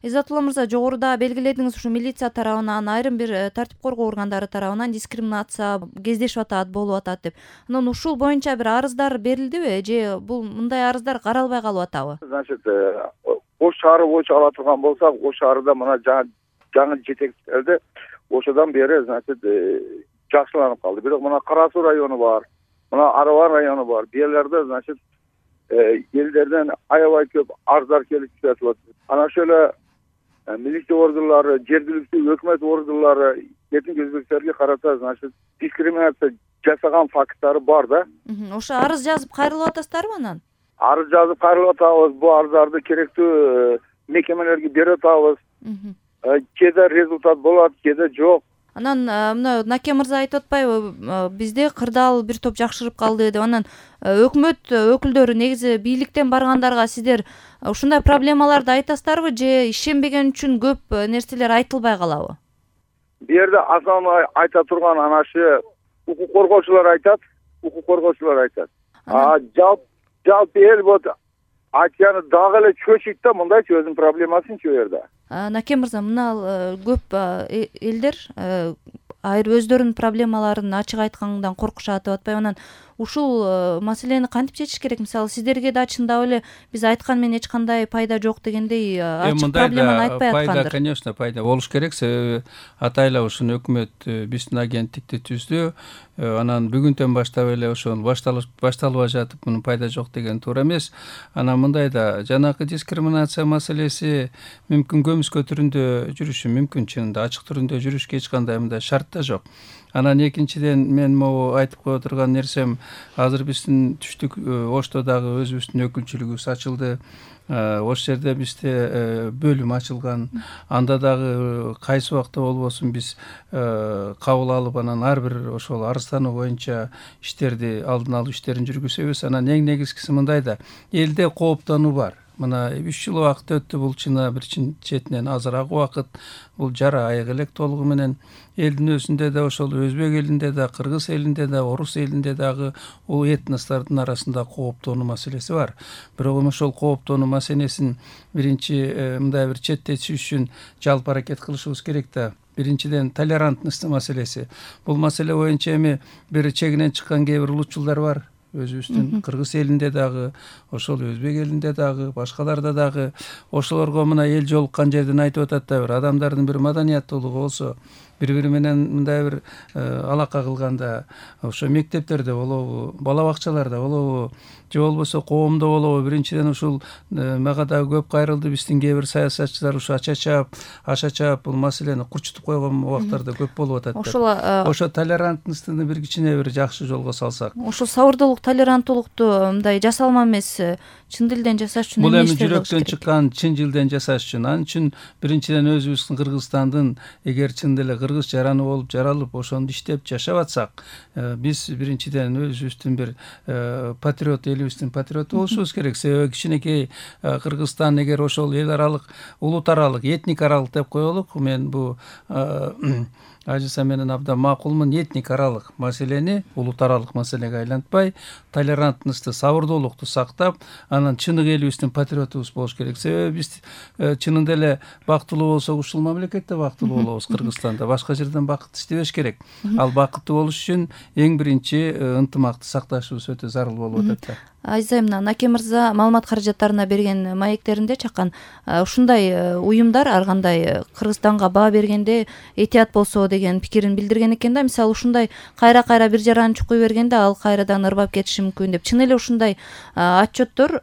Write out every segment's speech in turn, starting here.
Иззатулла мырза, жогоруда белгиледиңиз, ушу милиция тарабынан, айрым бир тартип коргоо органдары тарабынан дискриминация кездешип атат, болуп атат деп. Анан ушул боюнча бир арыздар берилдиби же бул мындай арыздар каралбай калып атабы? Значит, Ош шаары боюнча ала турган болсак, Ош шаарында мына жаңы жетекчилерди ошодон бери, значит, жакшыланып калды. Бирок мына Кара Суу району бар, мына Арабан району бар. Бияларда, значит, элдерден аябай көп арыздар келип түшөт. Анан ошо милиция органдары, жергиликтүү өкмөт органдары эркин өзбектерге карата, значит, дискриминация жасаган факттары бар да. Ошо арыз жазып кайрылып атасыздарбы анан? Арыз жазып кайрылып атабыз. Бул арыздарды керектүү мекемелерге берип атабыз. Кээде результат болот, кээде жок. Анан мына Наке мырза айтып атпайбы, бизде кырдаал бир топ жакшырып калды деп. Анан өкмөт өкүлдөрү, негизи бийликтен баргандарга сиздер ушундай проблемаларды айтасыздарбы же ишенбеген үчүн көп нерселер айтылбай калабы? Бу жерде основной айта турган ana shu укук коргоочулар айтат. Жалпы эл вот айтганы дагы эле чөчүйт да, мындайчы өзүнүн проблемасынчы бу жерде. Наке мырза, мына көп элдер айрым өздөрүнүн проблемаларын ачык айткандан коркушат деп атпайбы? Анан ушул маселени кантип чечиш керек? Мисалы, сиздерге да чындап эле биз айткан менен эч кандай пайда жок дегендей ачык проблеманы айтпай аткандыр. Пайда, конечно, пайда болуш керек. Себеби атайла ушуну өкмөт биздин агенттикти түздү. Анан бүгүндөн баштап эле ошол башталып жатып, мунун пайда жок деген туура эмес. Анан мындай да, жанагы дискриминация маселеси мүмкүн көмүскө түрүндө жүрүшү мүмкүн, чынында ачык түрүндө жүрүшкө эч кандай мындай шарт да жок. Анан экинчиден мен могу айтып кое турган нерсем, азыр биздин түштүк Ошто дагы өзүбүздүн өкүлчүлүгүбүз ачылды. Ош жерде бизде бөлүм ачылган. Анда дагы кайсы убакта болбосун биз кабыл алып, анан ар бир ошол арыздануу боюнча иштерди, алдын алуу иштерин жүргүзөбүз. Анан эң негизгиси мындай да, элде кооптонуу бар. Мына 3 жыл убакыт өттү, бул чына бир четинен азыраак убакыт. Бул жара айык элек толугу менен. Элдин өзүндө да, ошол өзбек элинде да, кыргыз элинде да, орус элинде дагы бул этностордун арасында кооптонуу маселеси бар. Бирок ошол кооптонуу маселесин биринчи мындай бир четтетиш үчүн жалпы аракет кылышыбыз керек да. Биринчиден толерантность маселеси. Бул маселе боюнча эми бир чегинен чыккан кээ бир улутчулдар бар. Өзүбүздүн кыргыз элинде дагы, ошол өзбек элинде дагы, башкаларда дагы. Ошолорго мына эл жолуккан жерден айтып атат да, бир адамдардын бир маданияттуулугу болсо, бири-бири менен мындай бир алака кылганда, ошо мектептерде болобу, бала бакчаларда болобу, же болбосо коомдо болобу, биринчиден ушул мага дагы көп кайрылды, биздин кээ бир саясатчылар ушу ача-чаап бул маселени курчутуп койгон убактарда көп болуп атат. Ошо толерантностьту бир кичине бир жакшы жолго салсак. Ошол сабырдуулук, толеранттуулукту мындай жасалма эмес, чын дилден жасаш үчүн бул эми жүрөктөн чыккан чын дилден жасаш үчүн. Анын үчүн биринчиден өзүбүздүн Кыргызстандын эгер чын деле кыргыз жараны болуп жаралып, ошондо иштеп жашап атсак, биз биринчиден өзүбүздүн бир патриот, элибиздин патриоту болушубуз керек. Себеби кичинекей Кыргызстан эгер ошол эл аралык, улут аралык, этник аралык деп коелук, мен бу Ажиса менен абдан макулмун, этник аралык маселени улут аралык маселеге айлантпай, толерантностьту, сабырдуулукту сактап, анан чыныгы элибиздин патриотубуз болуш керек. Себеби биз чынында эле бактылуу болсок, ушул мамлекетте бактылуу болобуз. Кыргызстанда башка жерден бакыт издебеш керек. Ал бакыттуу болуш үчүн эң биринчи ынтымакты сакташыбыз өтө зарыл болуп атат да. Азизайым, Наке мырза маалымат каражаттарына берген маектеринде чаккан ушундай уюмдар ар кандай Кыргызстанга баа бергенде этият болсо деген пикирин билдирген экен да. Мисалы, ушундай кайра бир жараны чукуй бергенде ал кайрадан ырбап кетиши мүмкүн деп. Чын эле ушундай отчеттор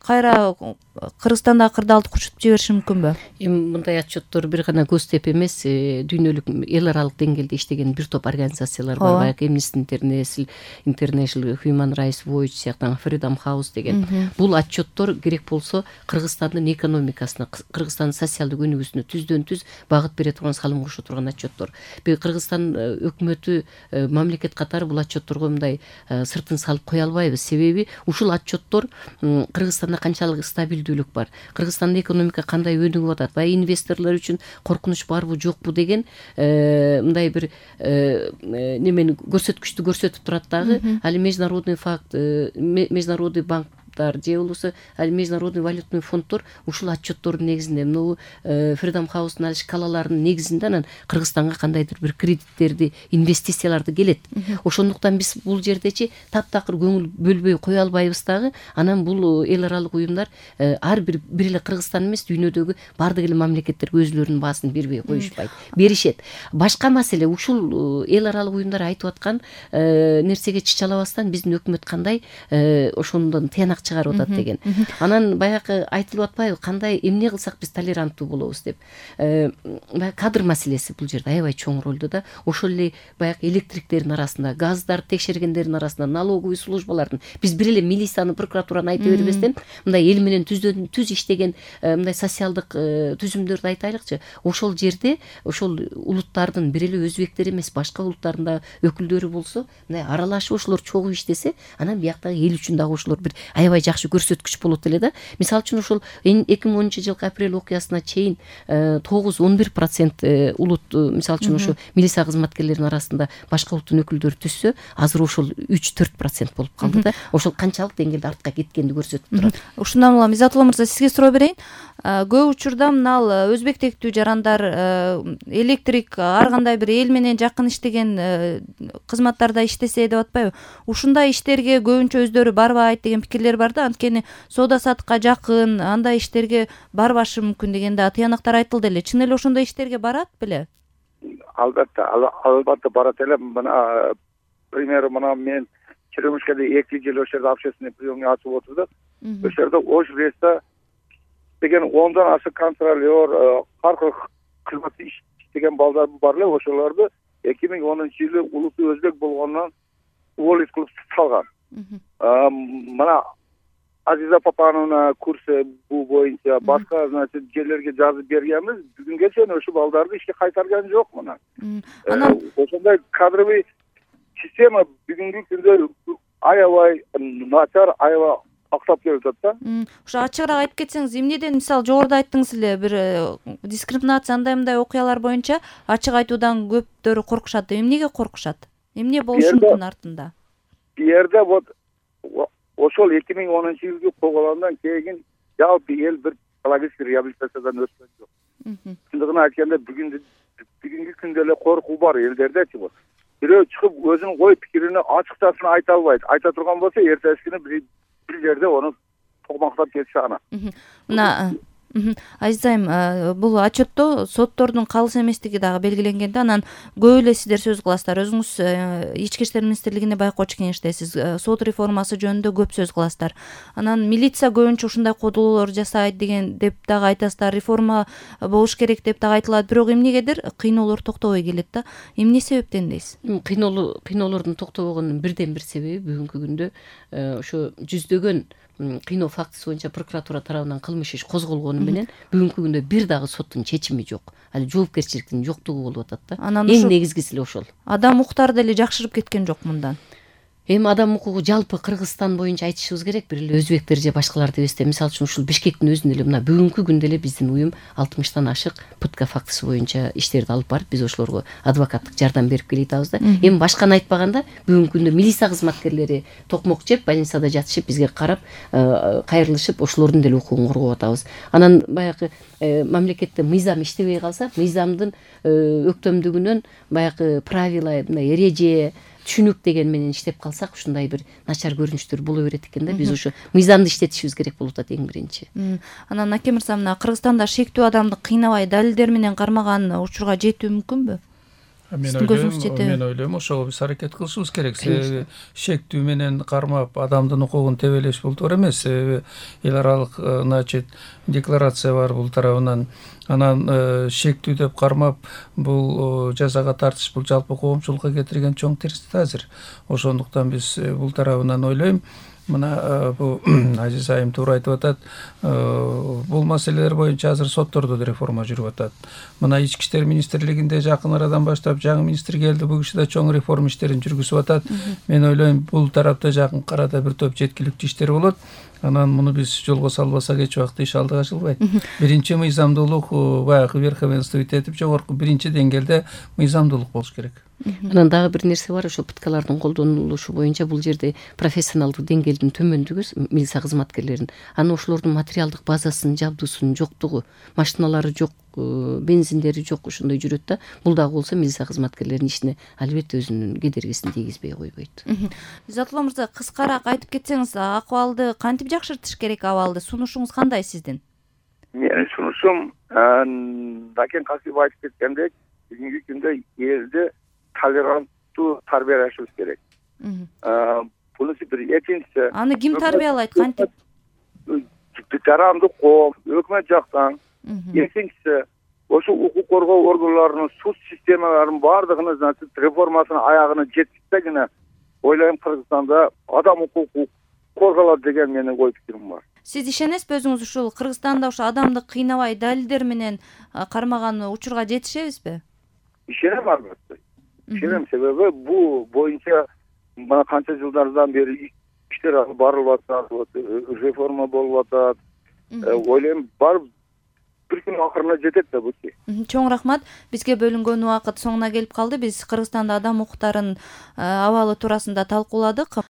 кайра Кыргызстандагы кырдаалды курчутуп жибериши мүмкүнбү? Эми мындай отчеттор бир гана Гостеп эмес, дүйнөлүк эл аралык деңгээлде иштеген бир топ организациялар бар. Баягы Amnesty International, Human Rights Watch сыяктуу, Freedom House деген. Бул отчеттор керек болсо Кыргызстандын экономикасына, Кыргызстандын социалдык өнүгүүсүнө түздөн-түз багыт бере турган, салым кошо турган отчеттор. Кыргызстан өкмөтү, мамлекет катары бул отчетторго мындай сыртын салып кое албайбыз. Себеби ушул отчеттор Кыргызстанда канчалык стабилдүүлүк бар, Кыргызстандын экономика кандай өнүгүп атат, баягы инвесторлор үчүн коркунуч барбы жокпу деген мындай бир немени көрсөткүчтү көрсөтүп турат дагы. Али международный банк улуттар же болбосо ал международный валютный фонддор ушул отчеттордун негизинде могу Freedom House'дун ал шкалаларынын негизинде анан Кыргызстанга кандайдыр бир кредиттерди, инвестицияларды келет. Ошондуктан биз бул жердечи таптакыр көңүл бөлбөй кое албайбыз дагы. Анан бул эл аралык уюмдар ар бир эле Кыргызстан эмес, дүйнөдөгү баардык эле мамлекеттер өзлөрүнүн баасын бербей коюшпайт, беришет. Башка маселе ушул эл аралык уюмдар айтып аткан нерсеге чычалабастан биздин өкмөт кандай ошондон тыянак чыгарып атат деген. Анан баягы айтылып атпайбы, кандай эмне кылсак биз толеранттуу болобуз деп. Кадр маселеси бул жерде аябай чоң ролду да. Ошол эле баягы электриктердин арасында, газдарды текшергендердин арасында, налоговый службалардын биз бир эле милицияны, прокуратураны айта бербестен мындай эл менен түз иштеген мындай социалдык түзүмдөрдү айтайлыкчы. Ошол жерде ошол улуттардын бир эле өзбектер эмес, башка улуттардын да өкүлдөрү болсо, мындай аралашып ошолор чогуу иштесе, анан бияктагы эл үчүн дагы ошолор бир аябай жакшы көрсөткүч болот эле да. Мисалы үчүн ошол 2010-жылкы апрель окуясына чейин 9-11% улут, мисалы үчүн ошо милиция кызматкерлеринин арасында башка улуттун өкүлдөрү түшсө, азыр ошол 3-4% болуп калды да. Ошол канчалык деңгээлде артка кеткенди көрсөтүп турат. Ушундан улам Изатулла мырза, сизге суроо берейин. Көп учурда мына өзбек тектүү жарандар, электрик, ар кандай бир эл менен жакын иштеген кызматтарда иштесе деп атпайбы? Ушундай иштерге көбүнчө өздөрү барбайт деген пикирлер бар да. Анткени соода саттыкка жакын, андай иштерге барбашы мүмкүн деген да тыянактар айтылды эле. Чын эле ошондой иштерге барат беле? Албетте барат эле. Мына пример, мына мен Черемушкада 2 жыл ошол жерде общественный приемный ачып отурдук. Ошол жерде ош рейста деген 10дан ашык контролер, аркылуу кызмат иштеген балдар бар эле. Ошолорду 2010-жылы улуту өзбек болгондон уволить кылып салган. Мына Азиза Папановна курсы бул боюнча башка, значит, жерлерге жазып бергенбиз. Бүгүнгө чейин ошол балдарды ишке кайтарган жок мына. Анан ошондой кадровый система бүгүнкү күндө аябай начар, аябай актап келип атат да. Ошо ачыгыраак айтып кетсеңиз, эмнеден, мисалы, жогоруда айттыңыз эле, бир дискриминация андай окуялар боюнча ачык айтуудан көптөрү коркушат. Эмнеге коркушат? Эмне болушу мүмкүн артында? Бу жерде вот ошол 2010-жылкы коголондон кийин жалпы эл бир психологический реабилитациядан өткөн жок. Чындыгын айтканда бүгүнкү күндө эле коркуу бар элдердечи. Бирөө чыгып өзүнүн ой пикирин ачыкчасын айта албайт. Айта турган болсо эртеси күнү бир жерде аны токмактап кетиши ана. Мына Азизайым, бул отчетто соттордун калыс эместиги дагы белгиленген да. Анан көп эле сиздер сөз кыласыздар. Өзүңүз Ички иштер министрлигинде байкоочу кеңештесиз. Сот реформасы жөнүндө көп сөз кыласыздар. Анан милиция көбүнчө ушундай кодулуулар жасайт деген деп дагы айтасыздар. Реформа болуш керек деп дагы айтылат. Бирок эмнегедир кыйноолор токтобой келет да. Эмне себептен дейсиз? Кыйноолордун токтобогонунун бирден бир себеби бүгүнкү күндө ошо жүздөгөн кыйноо фактысы боюнча прокуратура тарабынан кылмыш иш козголгону менен бүгүнкү күндө бир дагы соттун чечими жок. Ал жоопкерчиликтин жоктугу болуп атат да. Эң негизгиси эле ошол. Адам укуктары деле жакшырып кеткен жок мындан. Эми адам укугу жалпы Кыргызстан боюнча айтышыбыз керек, бир эле өзбектер же башкалар деп эсте. Мисалы үчүн ушул Бишкектин өзүндө эле мына бүгүнкү күндө эле биздин уюм 60тан ашык пытка фактысы боюнча иштерди алып барып, биз ошолорго адвокаттык жардам берип келип атабыз да. Эми башканы айтпаганда бүгүнкү күндө милиция кызматкерлери токмок жеп, больницада жатышып, бизге карап, кайрылышып, ошолордун деле укугун коргоп атабыз. Анан баягы мамлекетте мыйзам иштебей калса, мыйзамдын өктөмдүгүнөн баягы правила, эреже, түшүнүк деген менен иштеп калсак, ушундай бир начар көрүнүштөр боло берет экен да. Биз ошо мыйзамды иштетишибиз керек болуп атат эң биринчи. Анан Аке мырза, мына Кыргызстанда шектүү адамды кыйнабай далилдер менен кармаган учурга жетүү мүмкүнбү? Мен ойлойм ошого биз аракет кылышыбыз керек. Шектүү менен кармап адамдын укугун тебелеш бул туура эмес. Эл аралык, значит, декларация бар бул тарабынан. Анан шектүү деп кармап бул жазага тартыш, бул жалпы коомчулукка кетирген чоң терстик азыр. Ошондуктан биз бул тарабынан ойлойм. Мына бул Азиз айым туура айтып атат. Бул маселелер боюнча азыр соттордо да реформа жүрүп атат. Мына Ички иштер министрлигинде жакын арадан баштап жаңы министр келди, бул киши да чоң реформа иштерин жүргүзүп атат. Мен ойлойм, бул тарапта жакын арада бир топ жеткиликтүү иштер болот. Анан муну биз жолго салбасак эч убакта иш алдыга жылбайт. Биринчи мыйзамдуулук баягы верховенство этип жогорку биринчи деңгээлде мыйзамдуулук болуш керек. Анан дагы бир нерсе бар, ошол пыткалардын колдонулушу боюнча бул жерде профессионалдык деңгээлдин төмөндүгү милиция кызматкерлеринин, анан ошолордун материалдык базасынын, жабдуусунун жоктугу, машиналары жок, бензиндери жок, ошондой жүрөт да. Бул дагы болсо милиция кызматкерлеринин ишине албетте өзүнүн кедергисин тийгизбей койбойт. Изатулла мырза, кыскараак айтып кетсеңиз, акыбалды кантип жакшыртыш керек? Абалды сунушуңуз кандай сиздин? Менин сунушум Накен Касип айтып кеткендей, бүгүнкү күндө элди толеранттуу тарбиялашыбыз керек. Бунусу бир. Экинчиси, Аны ким тарбиялайт, кантип? Жарандык коом, өкмөт жактан. Экинчиси, ошо укук коргоо органдарынын суд системаларынын баардыгынын реформасынын аягына жеткизсегине ойлойм, Кыргызстанда адам укугу корголот деген менин ой пикирим бар. Сиз ишенесизби өзүңүз ушул Кыргызстанда ошо адамды кыйнабай далилдер менен кармаган учурга жетишебизби? Ишенем, албетте. Ишенем, себеби бул боюнча мына канча жылдардан бери иштер алып барылып атат, реформа болуп атат. Ойлойм, барып бир күн акырына жетет да бул. Чоң рахмат. Бизге бөлүнгөн убакыт соңуна келип калды. Биз Кыргызстанда адам укуктарынын абалы туурасында талкууладык.